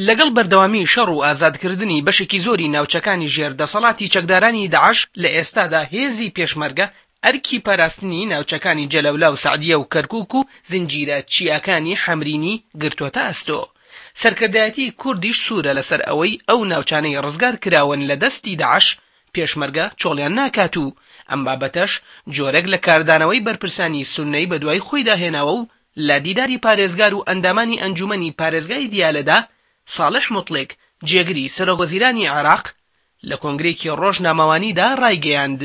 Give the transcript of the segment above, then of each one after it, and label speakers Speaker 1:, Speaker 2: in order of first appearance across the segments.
Speaker 1: لەگەڵ بەردەوامی شەڕ و ئازادکردنی بەشێکی زۆری ناوچەکانی ژێر دەسەڵاتی چەکدارانی داعش، لە ئێستادا هێزی پێشمەرگە ئەرکی پاراستنی ناوچەکانی جەلەولا و سەعدیە و کەرکوک و زنجیرە چیاکانی حەمرینی گرتۆتە ئەستۆ. سەرکردایەتی کوردیش سوورە لەسەر ئەوەی ئەو ناوچانەی ڕزگار کراون لە دەستی داعش، پێشمەرگە چۆڵیان ناکات و ئەم بابەتەش جۆرێک لە کاردانەوەی بەرپرسانی سوننەی بەدوای خۆیدا هێناوە و لە دیداری پارێزگار و ئەندامانی ئەنجوومەنی پارێزگای دیالەدا ساڵح موتڵیک جێگری سەرۆکوەزیرانی عێراق لە کۆنگرەیەکی ڕۆژنامەوانیدا ڕایگەیاند،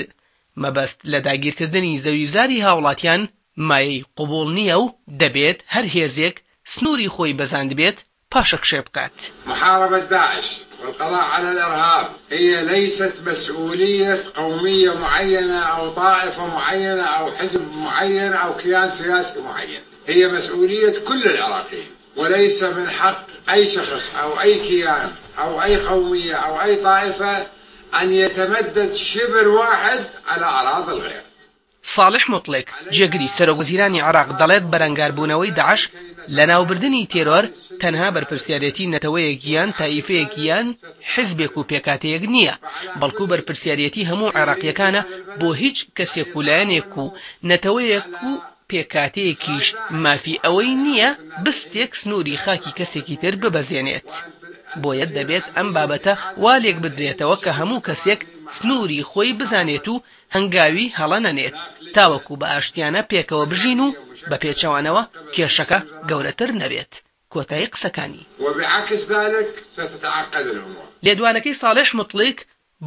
Speaker 1: مەبەست لە داگیرکردنی زەویوزاری هاوڵاتیان مایەی قبوڵ نییە و دەبێت هەر هێزێک سنووری خۆی بەزاندبێت پاشەکشێ بکات.
Speaker 2: محاربة داعش والقضاء على الإرهاب هي ليست مسؤولية قومية معينة أو طائفة معينة أو حزب معين أو كيان سياسي معين، هي مسؤولية كل العراقيين وليس من حق أي شخص أو أي كيان أو أي قومية أو أي طائفة أن يتمدد شبر واحد على أراضي الغير.
Speaker 1: ساڵح موتڵیک، جێگری سەرۆکوەزیرانی عێراق دەڵێت بەرەنگاربوونەوەی داعش، لەناوبردنی تێرۆر، تەنها بەرپرسیارێتی نەتەوەیەک یان تائیفەیەک یان حزبێک و پێکهاتەیەک نییە، بەڵکو بەرپرسیارێتی هەموو عێراقییەکانە بۆ هیچ کەسێک و لایەنێک و نەتەوەیەک و پێکهاتەیەکیش مافی ئەوەی نییە بستێک سنووری خاکی کەسێکی تر ببەزێنێت. بۆیە دەبێت ئەم بابەتە وا لێکبدرێتەوە کە هەموو کەسێک سنووری خۆی بزانێت و هەنگاوی هەڵە نەنێت تاوەکو بە ئاشتیانە پێکەوە بژین و بە پێچەوانەوە کێشەکە گەورەتر نەبێت. کۆتایی قسەکانی.
Speaker 2: وبعکس ذلک ستتعقد الامور.
Speaker 1: لێدوانەکەی ساڵح موتڵیک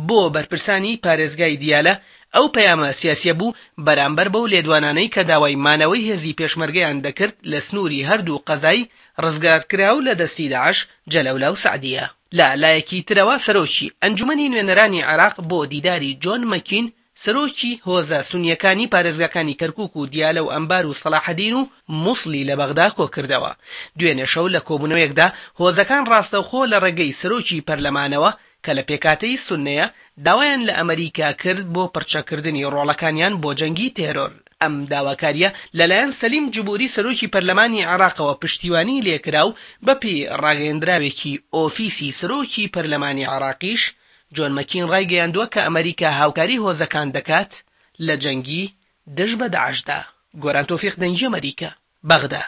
Speaker 1: بۆ بەرپرسانی پارێزگای دیالە ئەو پەیامە سیاسیە بوو بەرامبەر بەو لێدوانانەی کە داوای مانەوەی هێزی پێشمەرگەیان دەکرد لە سنووری هەردوو قەزای ڕزگارکراو لە دەستی داعش جەلەولا و سەعدیە. لە لایەکی ترەوە سەرۆکی ئەنجومەنی نوێنەرانی عێراق بۆ دیداری جۆن مەکین سەرۆکی هۆزە سونییەکانی پارێزگاکانی کەرکوک و دیالە و ئەنبار و سەڵاحەدین و موسڵی لە بەغدا کۆکردەوە. دوێنێ شەو لە کۆبوونەوەیەکدا هۆزەکان ڕاستەوخۆ لە ڕێگەی سەرۆکی پەرلەمانەوە کە لە پێکهاتەی سوننەیە داوایان لە ئەمەریکا کرد بۆ پڕچەککردنی ڕۆڵەکانیان بۆ جەنگی تێرۆر. ئەم داواکارییە لەلایەن سەلیم جبوری سەرۆکی پەرلەمانی عێراقەوە پشتیوانی لێکرا و بەپێی ڕاگەیەندراوێکی ئۆفیسی سەرۆکی پەرلەمانی عێراقیش جۆن مەکین ڕایگەیاندووە کە ئەمەریکا هاوکاری هۆزەکان دەکات لە جەنگی دژ بە داعشدا. گۆران تۆفیق دەنگی ئەمەریکا، بەغدا.